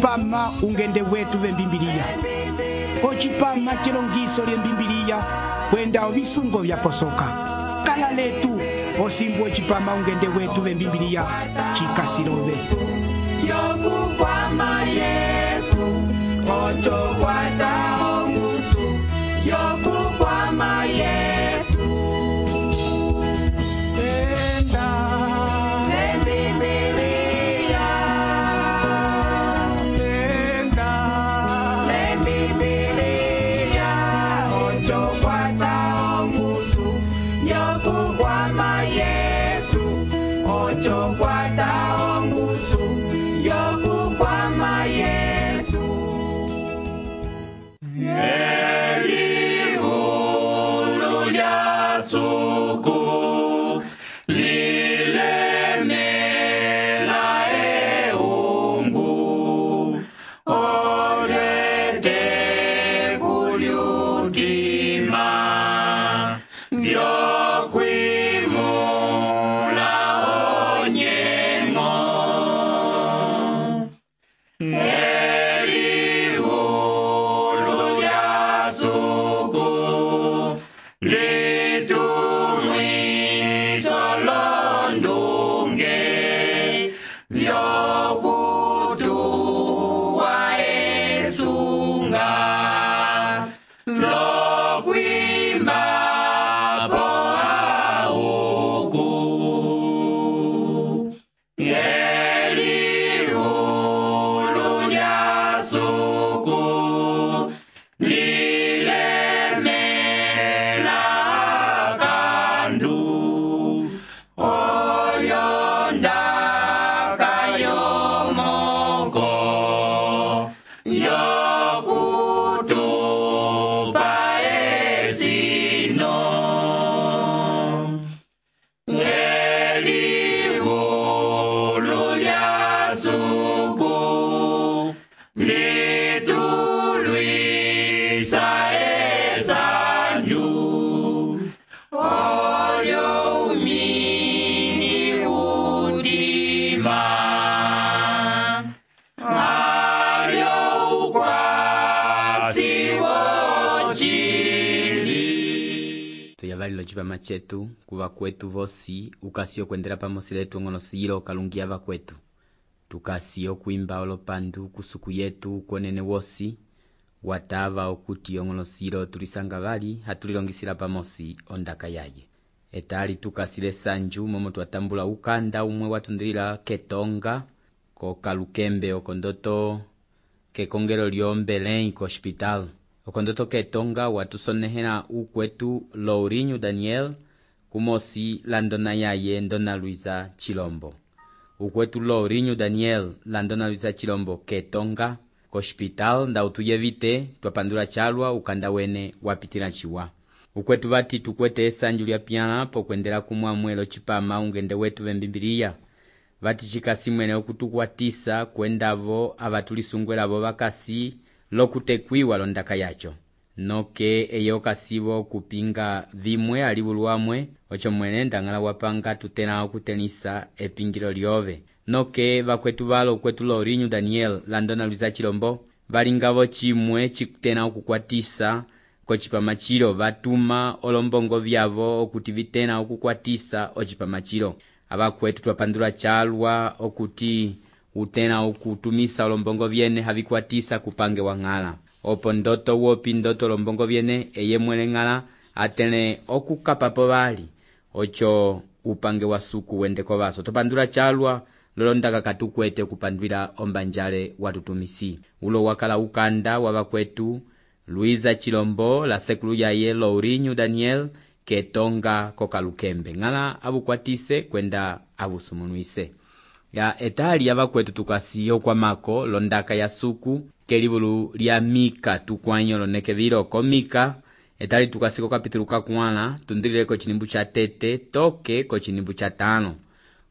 ocipama ungende wetu vembimbiliya, ocipama chilongiso lyembimbiliya kwenda ovisungo vyaposoka. Kala letu osimbu ocipama ungende wetu vembimbiliya chikasilove. Yokukwama Yesu, ocho kwata ongusu. Yokukwama Yesu, Enda Lembibiliya, enda Lembibiliya, ocho kwata ongusu. Yokukwama Yesu, ocho kwata ongusu. Yokukwama Yesu. Elihulu lya suku lilemela eumbu, olete kulyutima vyokwimula onyengo. Elihulu lya suku litumwiso londunge vyokutuwa esunga lokwimba po auku. Elihulu lya suku lilemela kandu oyonda kayomoko yokutupa esino. Elihulu lya suku litulwisa esanju, olyo umini udima, alyo ukwasi wochili. Tuyavalilo cipama cetu kuva kwetu vosi ukasiyo kwendela pamosi letu ng'onosilo kalungia vakwetu. Tukasiyo kuimba olopandu kusuku yetu konene wosi watava okuti ong'onosilo tulisanga vali hatulilongisila pamosi ondaka yaye. Etali tukasile sanju momo twatambula ukanda umwe watundilila ketonga ko Kalukembe okondoto kekongelo lyombelei ko hospital. Okondoto ketonga watusonehela ukwetu Lourinho Daniel kumosi la ndona yaye Ndona Luisa Chilombo. Ukwetu Lourinho Daniel la Ndona Luisa Chilombo ketonga ko hospital nda utuyevite twapandula chalwa ukanda wene wapitila chiwa. Ukwetu vati tukwete esanju lya piana po kwendela kumwamwelo cipama ungende wetu vembimbiliya. Vati chikasimwene okutukwatisa kwendavo avatulisungwelavo vakasi lokutekwiwa londaka yacho. Noke eyo kasivo kupinga vimwe alivuluamwe ocho mwene ndangala wapanga tutena okutenisa epingilo lyove. Noke vakwetu valo ukwetu Lourinho Daniel la Ndona Luisa Chilombo valingavo chimwe chikutena okukwatisa kocipama chilo vatuma olombongo vyavo okuti vitena okukwatisa ocipama chilo. Avakwetu twapandula chalwa okuti utena okutumisa olombongo vyene havikwatisa kupange wang'ala. Opo ndoto wopi ndoto olombongo vyene eye mwele ng'ala atene okukapapo vali ocho upange wa suku wende kwa vaso. Topandula chalwa lolondaka katukwete kupandwila ombanjale watutumisi. Ulo wakala ukanda wavakwetu Luisa Chilombo la sekulu yaye Lourinho Daniel ketonga ko Kalukembe. Ng'ala abukwatise kwenda abusumunuise. Ya etali yavakwetu tukasiyo kwa mako londaka ya suku kelivulu lya Mika tukwanyo loneke viroko Mika. Etali tukasiko kapitulu kakuana tundilile ko chinimbu cha tete toke ko chinimbu cha tano.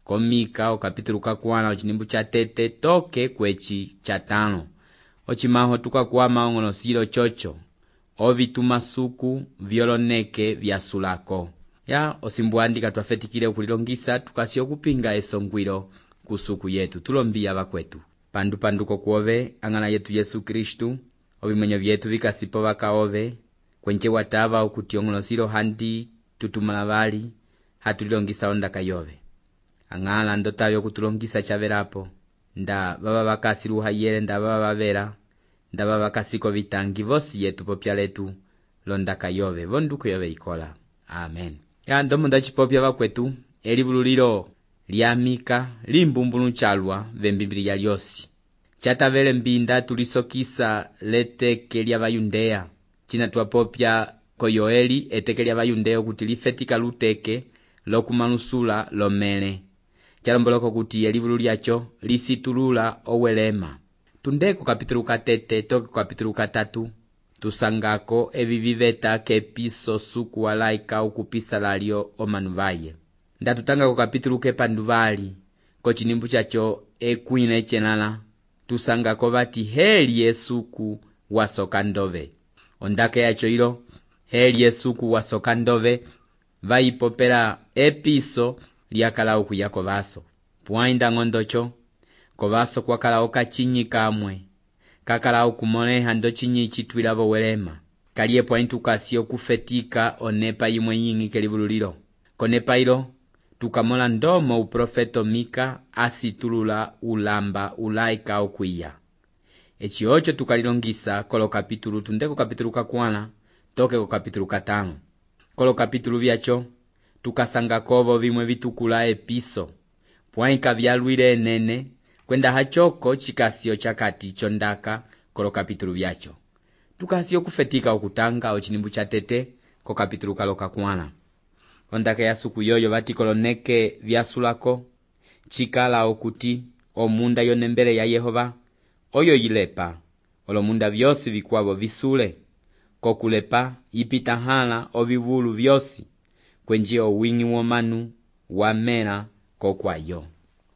Ko Mika okapitulu kakuana chinimbu cha tete toke kwechi cha tano. Ochimaho tukakuama ong'onosilo chocho ovituma suku vyoloneke vya sulako. Ya osimbuandika twafetikile ukulilongisa tukasiyo kupinga esongwilo kusuku yetu tulombia vakwetu. pandupanduko kwove ang'ana yetu Yesu Kristu, ovimwenyo vyetu vikasipo vakaove, kwenche watava okuti ong'onosilo handi tutumala vali, hatulilongisa ondaka yove. Ang'ala ndotave okutulongisa chavelapo, nda baba bakasiluha yele nda baba bavela, nda baba bakasiko vitangi vosi yetu popya letu, londaka yove, vonduko yove ikola. Amen. Ya ndomo ndachipopya vakwetu, elivululilo lya Mika limbumbulu chalwa vembimbili lyosi. Chatavele mbinda tulisokisa leteke lya Bayundeya. China twapopya ko Yoeli eteke lya Bayundeya kuti lifetika luteke lokumanusula lomele. Chalomboloko kuti elivulu lyacho lisitulula owelema. Tundeko kapitulu katete toke kapitulu katatu. Tusangako eviviveta kepiso suku walaika ukupisa lalyo omanuvaye. Ndatutanga ko kapitulu kepanduvali ko chinimbu chacho ekwina echenala. Tusangako vati heli yesuku wasoka ndove. Ondake yacho ilo heli yesuku wasoka ndove vaipopela episo lyakala okuyako vaso. Puainda ngondocho kovaso kwakala okachinyi kamwe. Kakala okumoleha ndo chinyi chitwilavo welema. Kaliye pointukasi okufetika onepa yimwe yingi kelivululilo. Konepa ilo tukamola ndomo uprofeto Mika asitulula ulamba ulaika okwiya. Echi ocho tukalilongisa kolo kapitulu tundeko kapitulu kakwana toke ko kapitulu katano. Kolo kapitulu vyacho tukasanga kovo vimwe vitukula episo. Puaika vyalwile enene kwenda hachoko chikasio chakati chondaka kolo kapitulu vyacho. Tukasio kufetika okutanga ochinimbu chatete ko kapitulu kaloka kwana. Ondaka ya suku yoyo vati koloneke vyasulako chikala okuti omunda yonembele ya Yehova oyo yilepa olomunda vyosi vikwavo visule kokulepa ipitahala ovivulu vyosi kwenjia owingi womanu wamela kokwayo.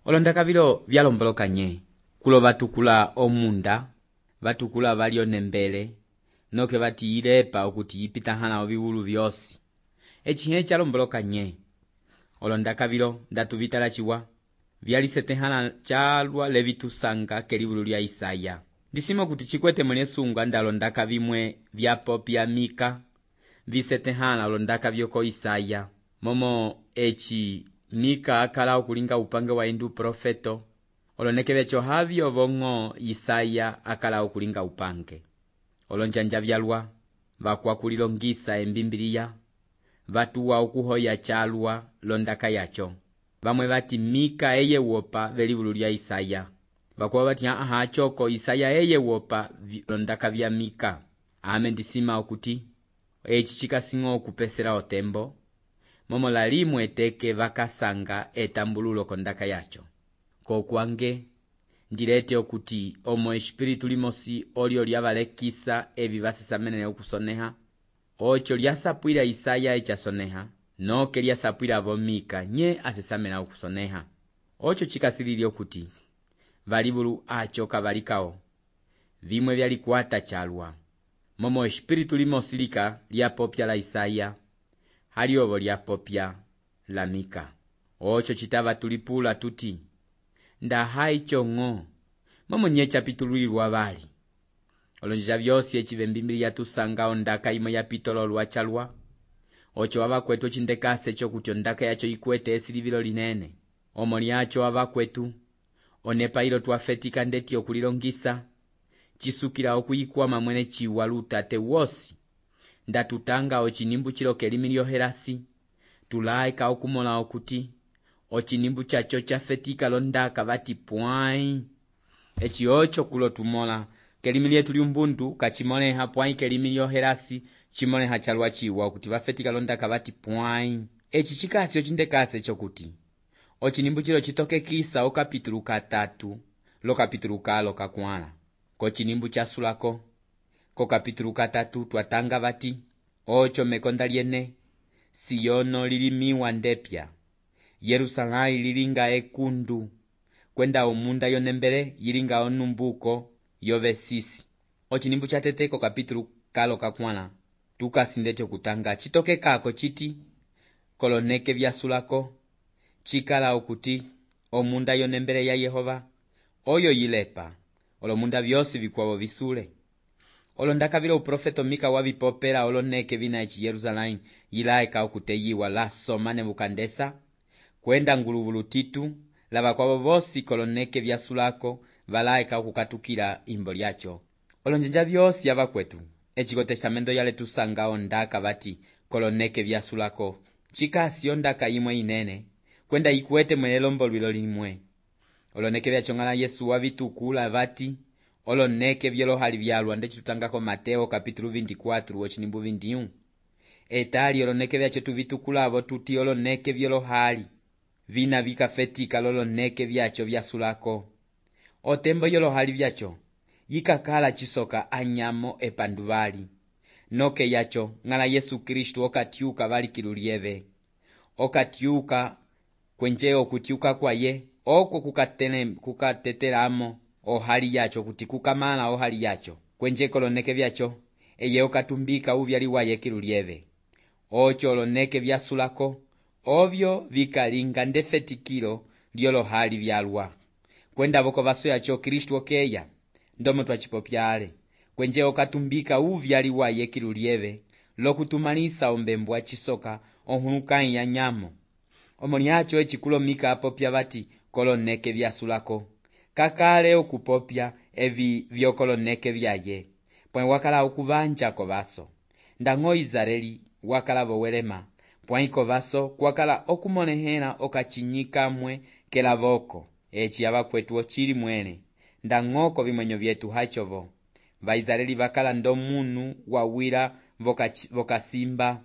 Olondaka vilo vyalomboloka nye kulo vatukula omunda vatukula valionembele noke vati ilepa okuti ipitahala ovivulu vyosi. Echihe chalomboloka nye. Olondaka vilo ndatuvitala chiwa vyalisetehala chalwa levitusanga kelivulu lya Isaya. Ndisimo kuti chikwete mwene sunga ndalondaka vimwe vyapopya Mika visetehala olondaka vyoko Isaya. Momo echi Mika akala okulinga upange wa indu profeto. Oloneke vecho havyo vongo Isaya akala okulinga upange. Olonjanja vyalwa vakwa kulilongisa embimbiliya. Vatuwa ukuhoya chalwa londaka yacho. Vamwe vati Mika eye wopa velivulu lya Isaya. Vakuwa vati choko Isaya eye wopa londaka vya Mika. Ndisima okuti echi chikasingo okupesela otembo. Momo lalimu eteke vakasanga etambululo kondaka yacho. Kokwange ndilete okuti omo espiritu limosi olio lyavalekisa evi vasesamenene okusoneha. Ocho lyasapwila Isaya echasoneha, noke lyasapwila vo Mika nye asesamena okusoneha. Ocho chikasilili okuti valivulu acho kavalikao vimwe vyalikwata chalwa. Momo espiritu limosilika lyapopya la Isaya, haliovo lyapopya la Mika. Ocho chitava tulipula tuti ndahai chongo momo nye chapitululwa vali. Olonjija vyosi echivembimbili yatusanga ondaka imwe ya pitolo lwa chalwa. Ocho wavakwetu chindekase chokuti ondaka yacho ikwete esilivilo linene. Omo lyacho wavakwetu onepa ilo tuafetika ndeti okulilongisa. Chisukila okuyikwama mwene chiwa lutate wosi. Ndatutanga ochinimbu chiloke limilio helasi. Tulaika okumola okuti ochinimbu chacho chafetika londaka vati puai. Echi ocho kulo tumola kelimi yetu lyumbundu kachimoleha puai kelimi yoherasi chimoleha chalwa chiwa kuti vafetika londaka vati puai. Echi chikasi ochindekase chokuti ochinimbu chilo chitoke kisa okapitulu katatu lo kapitulu kalo kakwana. Ko chinimbu chasulako ko kapitulu katatu twatanga vati ocho mekonda liene Siono lilimiwa ndepya, Yerusalai lilinga ekundu, kwenda omunda yonembele yilinga onumbuko yovesisi. Ochinimbu chateteko kapitulu kalo kakwana tukasindete kutanga chitoke kako chiti koloneke vyasulako chikala okuti omunda yonembele ya Yehova oyo yilepa olomunda vyosi vikwavo visule. Olo ndakavila uprofeto Mika wavipopela oloneke vina eci Yerusalemu yilaeka okuteyiwa la soma Nebukadnesa kwenda nguluvulu titu lava kwavo vosi koloneke vyasulako valaeka okukatukila imbo lyacho. Olonjanja vyosi yava kwetu eciko testamento yale tusanga ondaka vati koloneke vyasulako chikasi ondaka imwe inene kwenda ikwete mwene lombo lwilo limwe. Oloneke vyachong'ala Yesu wavitukula vati oloneke vyolohali vyalwa ndechitutangako Mateo kapitulu 24 wochinimbu 21. Etali oloneke vyacho tuvitukulavo tuti oloneke vyolohali vina vikafetika loloneke vyacho vyasulako. Otembo yolohali vyacho yikakala chisoka anyamo epanduvali noke yacho ng'ala Yesu Kristu okatyuka valikilulieve okatyuka kwenje okutyuka kwaye oko kukatetelamo ohali yacho kuti kukamala ohali yacho kwenje koloneke vyacho eye okatumbika uvyali waye kilulieve ocho oloneke vyasulako ovyo vikalinga ndefetikilo lyolohali vyalwa kwenda voko vaso yacho Kristu okeya ndomo twachipopyale kwenje okatumbika uvyali waye kilulieve lokutumalisa ombembwa chisoka ohunukai ya nyamo omoni yacho echikulo Mika apopya vati koloneke vyasulako kakale okupopya evi vyokoloneke vyaye pwe wakala okuvanja kovaso ndang'o Israeli wakala vowelema pwai kovaso kwakala okumonehela okachinyikamwe kelavoko eci yava kwetu ochili mwene ndang'oko vimwenyo vyetu hachovo Vaisraeli vakala ndomunu wawira vokasimba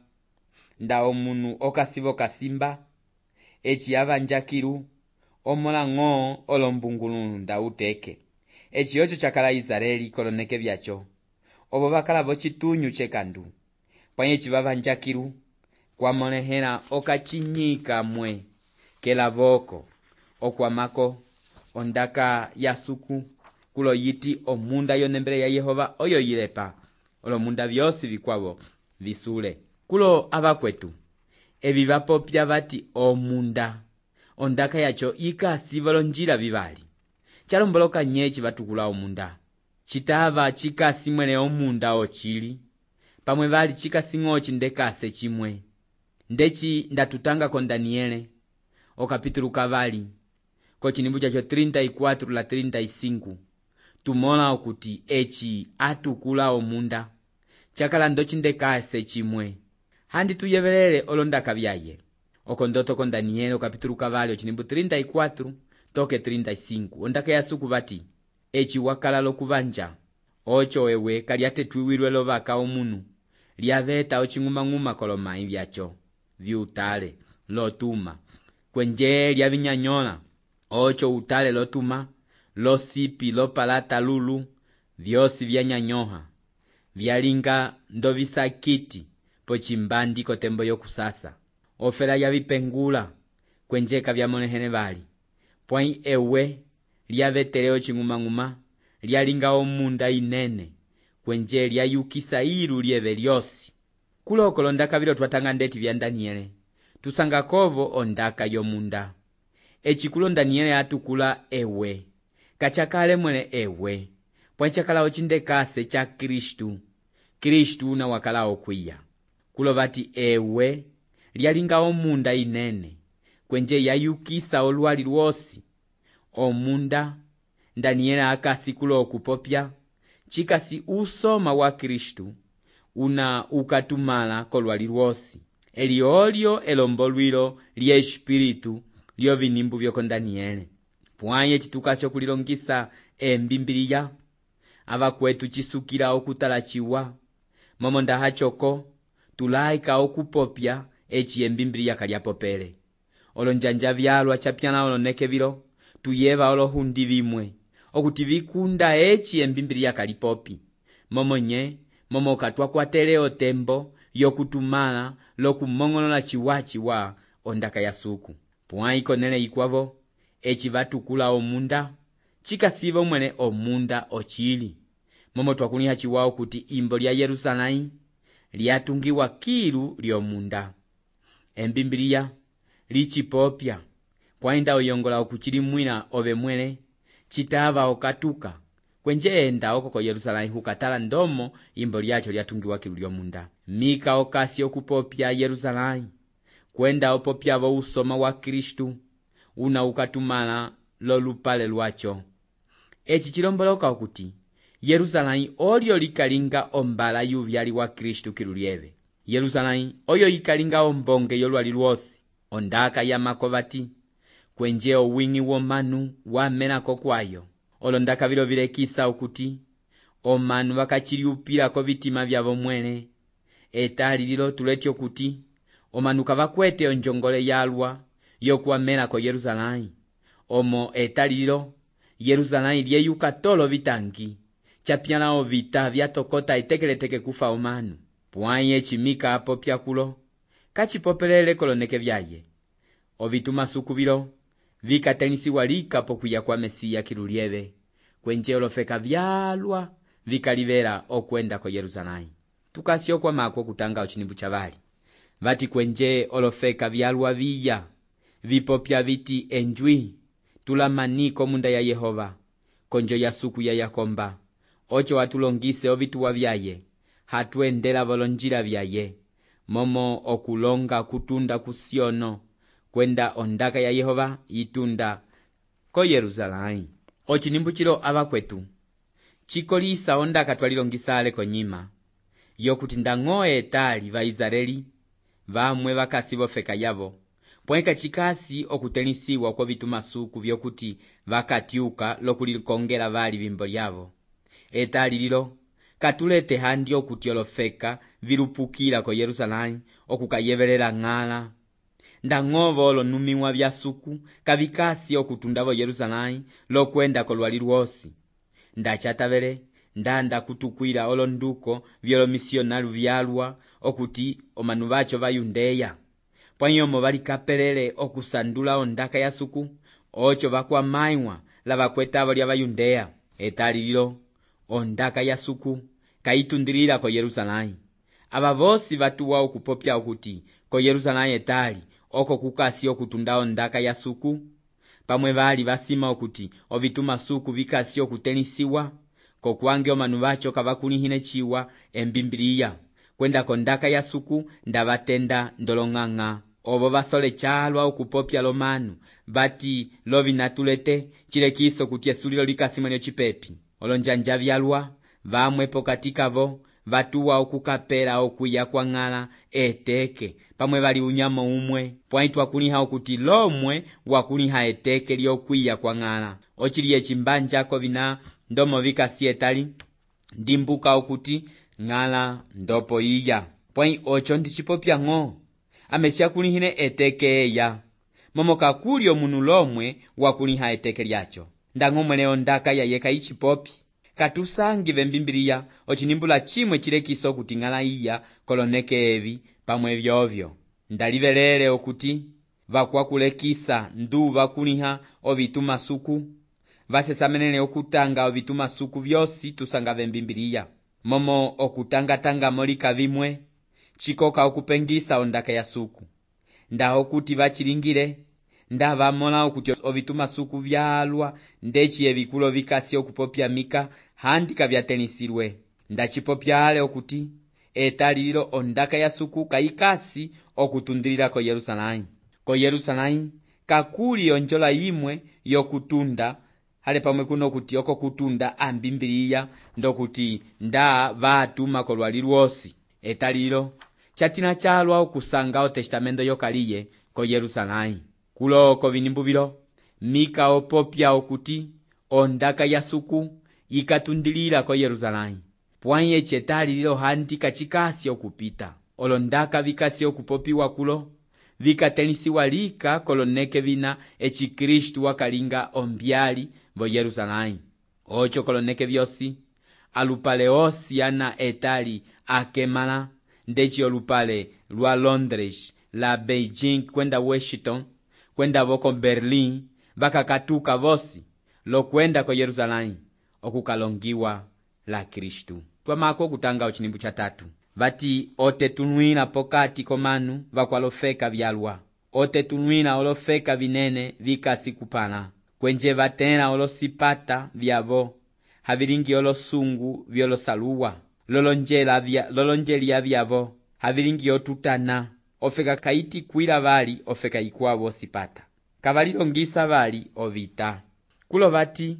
nda omunu okasivo kasimba eci yava njakilu omola ng'o olombungulu nda uteke eci yocho chakala Israeli koloneke vyacho ovo vakala vochitunyu chekandu pwanye eci vava njakilu kwamonehela okachinyika mwe kelavoko okwamako ondaka yasuku kulo yiti omunda yonembele ya Yehova oyo yilepa olomunda vyosi vikwavo visule. Kulo avakwetu evi vapopya vati omunda ondaka yacho ikasiva lonjila vivali chalomboloka nyechi vatukula omunda chitava chikasi mwene omunda ochili pamwe vali chikasi ng'ochi ndekase chimwe ndechi ndatutanga ko Daniele okapitulu kavali kochinimbu chacho 34 la 35 tumola okuti eci atukula omunda chakala ndochindekase chimwe handi tuyevelele olondaka vyaye okondoto ko Daniele okapitulu kavali ochinimbu 34 toke 35 ondaka yasuku vati eci wakala lokuvanja ocho ewe kalyatetwiwilwe lovaka omunu lyaveta oching'umang'uma kolomai vyacho viutale lotuma kwenje lyavinyanyola ocho utale lotuma losipi lopalata lulu vyosi vyanyanyoha vyalinga ndovisakiti pochimbandi kotembo yokusasa ofela yavipengula kwenjeka vyamonehene vali pwai ewe lyavetele oching'umang'uma lyalinga omunda inene kwenje lyayukisa ilu lyeve lyosi. Kuloko londaka vilo twatanga ndeti vya Daniele tusanga kovo ondaka yomunda echikulo Daniele atukula ewe kachakale mwene ewe pwachakala ochindekase cha Kristu na wakala okwiya kulo vati ewe lyalinga omunda inene kwenje yayukisa olwali lwosi omunda Daniele akasi kulo okupopya chikasi usoma wa Kristu una ukatumala kolwali lwosi eliolyo elombolwilo lye espiritu lyo vinimbu vyoko Daniele pwaye chitukasyo kulilongisa embimbiliya avakwetu chisukila okutalachiwa momo ndahachoko tulaika okupopya eci embimbiliya kalyapopele olonjanja vyalwa chapyana oloneke vilo tuyeva olohundi vimwe okuti vikunda eci embimbiliya kalipopi momo katwakwatele otembo yokutumala lokumong'olola chiwachiwa ondaka yasuku pwai konele ikwavo eci vatukula omunda chikasiva mwene omunda ochili momo twakuliha chiwao kuti imbo lya Yerusalemu lyatungiwa kilu lyomunda embimbiliya lichipopya pwai nda oyongola okuchilimwila ove mwene citava okatuka kwenje enda oko ko Yerusalemu hukatala ndomo imbo lyacho lyatungiwa kilu lyomunda. Mika okasi okupopya Yerusalemu kwenda opopyavo usoma wa Kristu una ukatumala lolupale lwacho. Eci cilomboloka okuti Yerusalemu olyo likalinga ombala yuvyali wa Kristu kilu lyeve. Yerusalemu oyo ikalinga ombonge yolwali lwosi, ondaka ya makovati kwenje owingi womanu wamenako kwayo. Olondaka vilo vilekisa okuti omanu vakachiliupilako vitima vyavo mwene. Etali lilo tuleti okuti omanu kavakwete onjongole yalwa yokuwamenako Yerusalemu. Omo etali lilo Yerusalemu lyeyuka tolo vitangi, chapyala vita vyatokota itekeleteke kufa omanu. Pwanye chimika apopya kulo kachipopelele koloneke vyaye. Ovitumasuku vilo vikatenisiwa lika pokuya kwa Mesiya kilu lyeve, kwenje olofeka vyalwa vikalivela okwenda ko Yerusalemu. Tukasio kwa mako kutanga ochinimbu chavali vati kwenje olofeka vyalwa viya vipopya viti enjwi tulamaniko munda ya Yehova konjo ya suku ya Yakomba. Ocho watulongise ovituwa vyaye, hatuendela volonjila vyaye, momo okulonga kutunda kusiono kwenda ondaka ya Yehova itunda ko Yerusalemu. Ochinimbu chilo abakwetu chikolisa ondaka twalilongisale konyima yokuti ndang'oe etali va Israeli vamwe vakasi vofeka yavo, pwenka chikasi okutenisiwa kwa vitumasuku vyokuti vakatyuka lokulikongela vali vimbo lyavo. Etali lilo katulete handi okuti olofeka vilupukila ko Yerusalemu okukayevelela ng'ala. Ndang'ovo olonumiwa vya suku kavikasi okutundavo Yerusalemu lokwenda kolwali lwosi. Ndachatavele ndanda kutukwila olonduko vyolomisionalu vyalwa okuti omanu vacho va Yudeya. Pwanyomo valikapelele okusandula ondaka ya suku, ocho vakwamaiwa lavakwetavo lya Yudeya. Etali lilo ondaka ya suku kaitundilila ko Yerusalemu. Aba vosi vatuwa okupopya okuti ko Yerusalemu etali oko kukasi okutunda ondaka ya suku, pamwe vali vasima okuti ovituma suku vikasi okutenisiwa kokwange omanu vacho kavakulihine chiwa embimbiliya kwenda kondaka ya suku ndavatenda ndolong'ang'a. Ovo vasole chalwa okupopya lomanu vati lovinatulete chilekiso kuti esulilo likasimwenyo chipepi. Olonjanja vyalwa vamwe pokatikavo vatuwa okukapela okwiya kwa ng'ala eteke pamwe vali unyamo umwe, pwaitwa kuliha okuti lomwe wakuliha eteke lyokwiya kwa ng'ala. Ochiliye chimbanjako vina ndomo vikasi etali ndimbuka okuti ng'ala ndopo iya. Pwai ocho ndichipopya ng'o amesha kulihine eteke eya, momo kakuli omunu lomwe wakuliha eteke lyacho. Ndang'o mwene ondaka yayeka ichipopi katusangive mbimbiliya ochinimbula chimwe chilekiso okuti ng'ala iya koloneke evi pamwe vyovyo. Ndalivelele okuti vakwakulekisa ndu vakuliha ovitumasuku vasesamenele okutanga ovitumasuku vyosi tusangave mbimbiliya, momo okutangatanga molika vimwe chikoka okupengisa ondaka ya suku. Ndaho kuti vachilingile ndavamola okuti ovitumasuku vyalwa ndechiye vikulo vikasi okupopya mika handika vyatenisirwe. Ndachipopyale okuti etali lilo ondaka ya suku kaikasi okutundilila ko Yerusalemu. Ko Yerusalemu kakuli onjola imwe yokutunda hale pamwe kuno okuti oko kutunda ambimbiliya ndokuti nda vatuma kolwali lwosi. Etali lilo chatina chalwa okusanga otestamento yokaliye ko Yerusalemu. Kuloko vinimbu vilo Mika opopya okuti ondaka ya suku ikatundilila ko Yerusalemu. Pwanye chetali lilo handika chikasi okupita. Olondaka vikasi okupopiwa kulo vikatenisiwa lika koloneke vina echi Kristu wakalinga ombyali vo Yerusalemu. Ocho koloneke vyosi alupale osi ana etali akemala ndechi olupale lwa Londres, la Beijing kwenda Washington, kwenda voko Berlin, vakakatuka vosi lokwenda ko Yerusalemu okukalongiwa la Kristu. Twamako kutanga ochinimbu cha tatu vati otetunwina pokati komanu vakwalofeka vyalwa, otetunwina olofeka vinene vikasi kupana kwenje vatẽla olosipata vyavo, havilingi olosungu vyolosaluwa, lolonjelya vyavo, havilingi otutana, ofeka kaiti kwila vali ofeka ikwavo osipata. Kavalilongisa vali ovita. Kulo vati,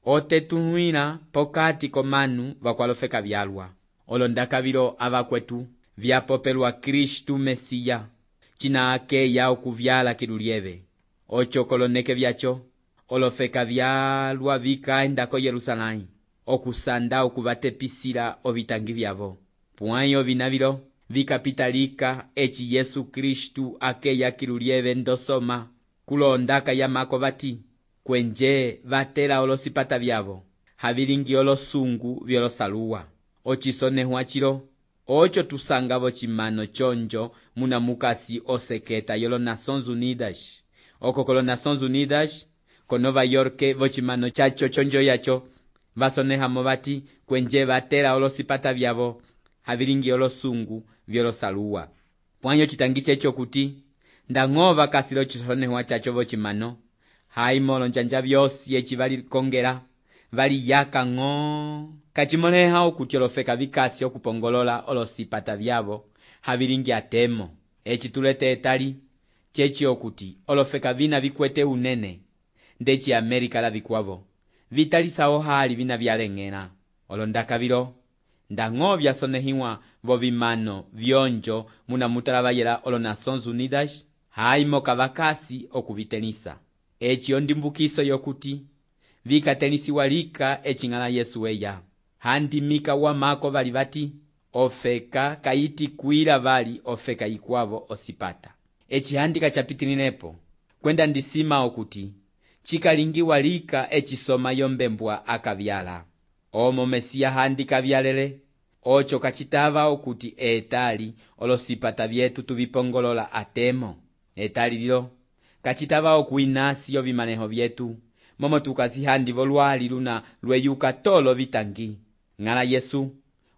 otetunwila pokati komanu vakwalofeka vyalwa. Olondakavilo avakwetu vyapopelwa Kristu Mesiya, cina akeya okuvyala kilulieve. Ocho koloneke vyacho, olofeka vyalwa vikaenda ko Yerusalai, okusanda okuvatepisila ovitangi vyavo. Pwãyi ovinavilo vikapitalika eci Yesu Kristu akeya kilulieve ndosoma, kulondaka yamako vati, kwenje vatela olosipata vyavo, havilingi olosungu vyolosaluwa. Ocisonehwa cilo, ocho tusanga vocimano chonjo muna mukasi oseketa yolo Nações Unidas. Oko kolo Nações Unidas, ko Nova York vocimano chacho chonjo yacho, vasonehamo vati, kwenje vatela olosipata vyavo, havilingi olosungu vyolosaluwa. Pwanyo chitangi checho kuti, ndang'ova kasilo chisonehwa chacho vocimano, haimolo njanja vyosi eci valikongela, valiyaka ng'o. Kachimoleha okuti olofeka vikasi okupongolola olosipata vyavo, havilingi atemo. Eci tulete etali, chechi okuti olofeka vina vikwete unene, ndeci Amerika la vikwavo, vitalisao hali vina vyaleng'ela. Olondakavilo, ndang'o vyasonehiwa vovimano vyonjo muna mutalavayela olo Nações Unidas, haimo kavakasi okuvitenisa. Eci ondimbukiso yokuti, vikatenisiwa lika ecing'ala Yesu eya. Handimika wamako vali vati, ofeka kaiti kwila vali ofeka ikwavo osipata. Eci handika chapitilinepo, kwenda ndisima okuti, chikalingiwa lika ecisoma yombembwa akavyala. Omo Mesiya handika vyalele, ocho kachitava okuti etali olosipata vyetu tuvipongolola atemo. Etali lilo, kachitava okuinasi yovimaneho vyetu, momo tukazihandi volwali luna lweyuka tolo vitangi. Ng'ala Yesu,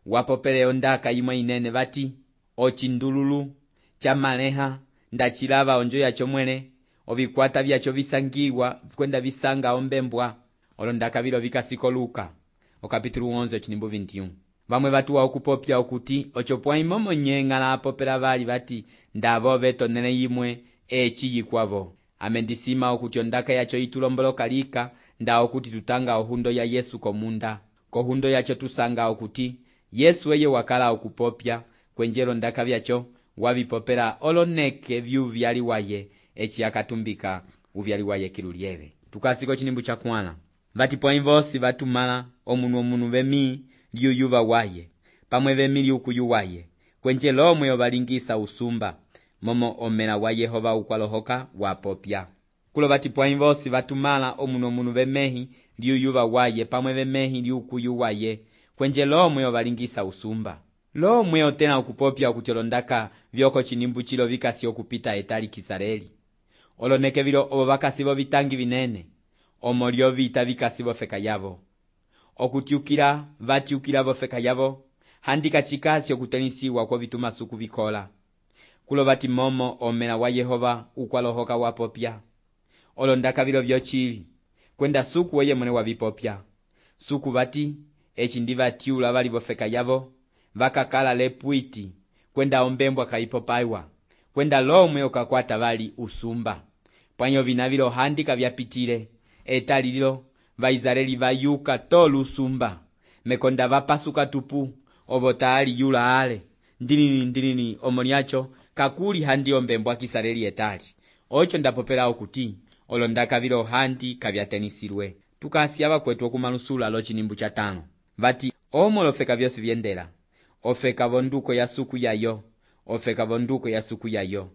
wapopele ondaka imwe inene vati, ochindululu, chamaleha, ndachilava onjo yacho mwene, ovikwata vyacho visangiwa, kwenda visanga ombembwa. Olondaka vilo vikasiko Luka, okapitulu 11 chinimbu 21. Vamwe vatuwa okupopya okuti, ochopwa imomo ng'ala apopela vali vati, ndavo vetonele imwe, eci yikwavo. Amendisima okuti ondaka yacho itulomboloka lika, nda okuti tutanga ohundo ya Yesu komunda. Kohundo yacho tusanga okuti, Yesu eye wakala okupopya, kwenjelo ndaka vyacho, wavipopela oloneke vyuvyali waye, eci akatumbika uvyali waye kilulieve. Tukasiko chinimbu cha kwana. Vati poinvosi vatumala omunu vemi liuyuva waye, pamwe vemi liukuyu waye, kwenje lomwe ovalingisa usumba, momo omela wa Yehova ukwalohoka wapopya. Kulo vati poinvosi vatumala omunu vemehi liuyuva waye, pamwe vemehi liukuyu waye, kwenje lomwe ovalingisa usumba. Lomwe otena okupopya okuti olondaka vyoko chinimbu chilo vikasi okupita etali Kisareli. Oloneke vilo obo vakasi vo vitangi vinene, omo lyo vita vikasi vofeka yavo. Okutiukila vatiukila vofeka yavo, handika chikasi okutenisiwa kwa vitumasuku vikola. Kulo vati momo omela wa Yehova ukwalohoka wapopya. Olondaka vilo vyochili, kwenda suku weye mwene wavipopya. Suku vati, eci ndivatiula vali vofeka yavo, vakakala lepwiti, kwenda ombembwa kaipopaiwa, kwenda lomwe okakwata vali usumba. Pwanyo vinavilo handika vyapitile, etali lilo, Vaisraeli vayuka tolu usumba, mekonda vapasuka tupu, ovotali yula ale, ndinini omoniacho, kakuli handi ombembwa Kisareli etali. Ocho ndapopela okuti, olondaka vilo handi kavyatenisirwe. Tukasiava kwetu okumanusula lo chinimbu cha 5. Vati, omo lofeka vyosi vyendela, ofeka vonduko ya suku yayo, ofeka vonduko ya suku yayo.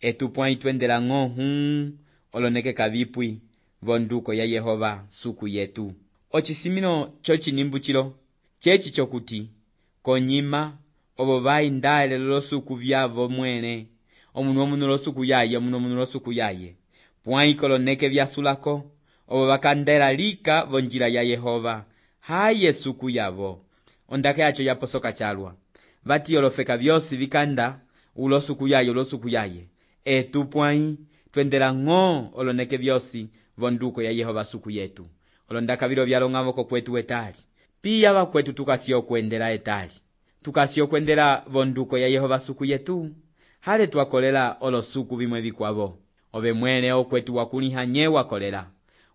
Etupwa itwendela ng'ohu, oloneke kavipwi, vonduko ya Yehova suku yetu. Ochisimino cho chinimbu chilo, chechi chokuti, konyima, obo vai ndaele lo suku vyavo mwene, omunu lo suku yaye, pwai koloneke vyasulako, obo vakandela lika vonjila ya Yehova, haye suku yavo. Ondake yacho yaposoka chalwa, vati olofeka vyosi vikanda, ulo suku yaye, etupwai, twendela ng'o oloneke vyosi, vonduko ya Yehova suku yetu olonda vilo vyalong'avoko kwetu etali piya vakwetu tukasiya okwendela etali tukasiya okwendela vonduko ya Yehova suku yetu hale twakolela olosuku vimwe vikwavo ove mwene okwetu wakulihanye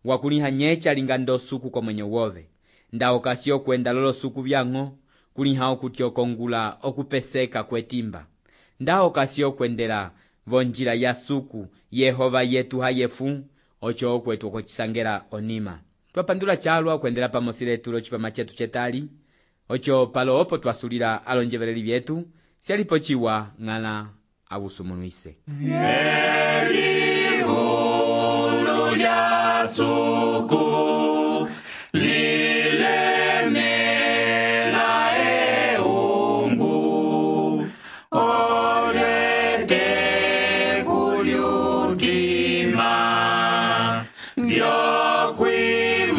wakulihanye chalinga ndo suku komwenye wove nda okasiya okwenda lolo suku vyang'o kuliha okuti okongula okupeseka kwetimba nda okasiya okwendela vonjila ya suku Yehova yetu hayefu ocho okwetu okochisangela onima twapandula chalwa okwendela pamosi letu locipama chetu chetali ocho palo opo twasulila alonjeveleli vyetu syalipo chiwa ng'ala awusumunuise Elihulu lya suku lilemela eungu olete kulyutima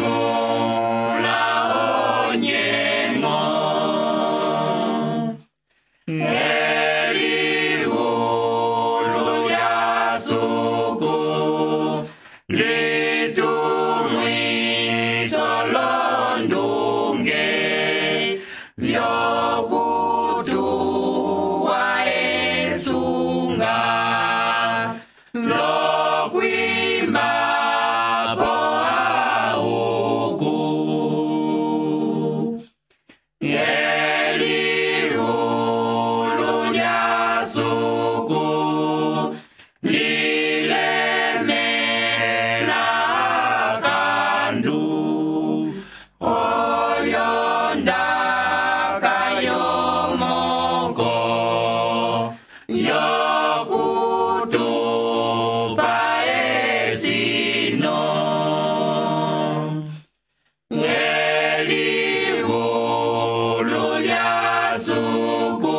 vyokwimula onyengo Elihulu lya suku litumwiso londunge vyokutuwa esunga lokwimba po auku Elihulu lya suku lilemela kandu olyonda kayomoko yokutupa esino Elihulu lya suku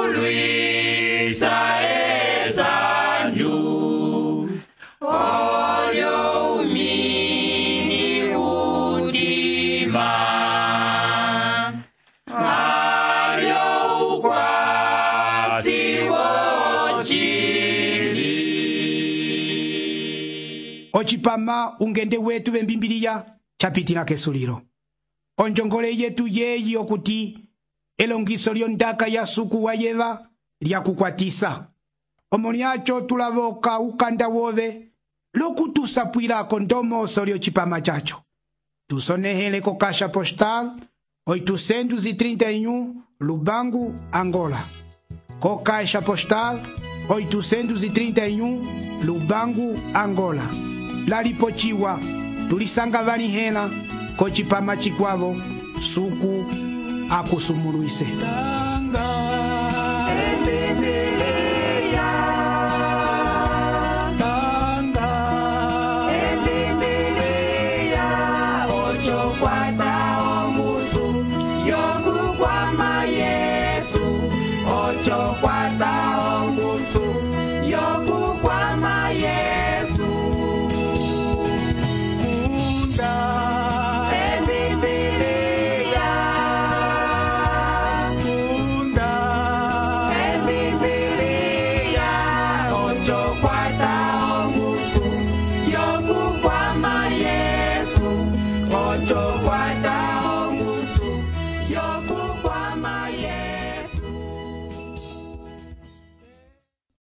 litulwisa esanju olyo umini udima alyo ukwasi wochili ocipama ungende wetu vembimbiliya chapitila kesulilo onjongole yetu yeyi okuti elongiso lyondaka ya suku wa Yeva lyakukwatisa omo lyacho tulavoka ukanda wove lokutusapwilako ndomoso lyocipama chacho tusonehele ko Caixa Postal 831 Lubangu, Angola. Co Caixa Postal 831 Lubangu, Angola. Lalipochiwa tulisanga valihela ko chipama chikwavo suku akusumuluise. Yo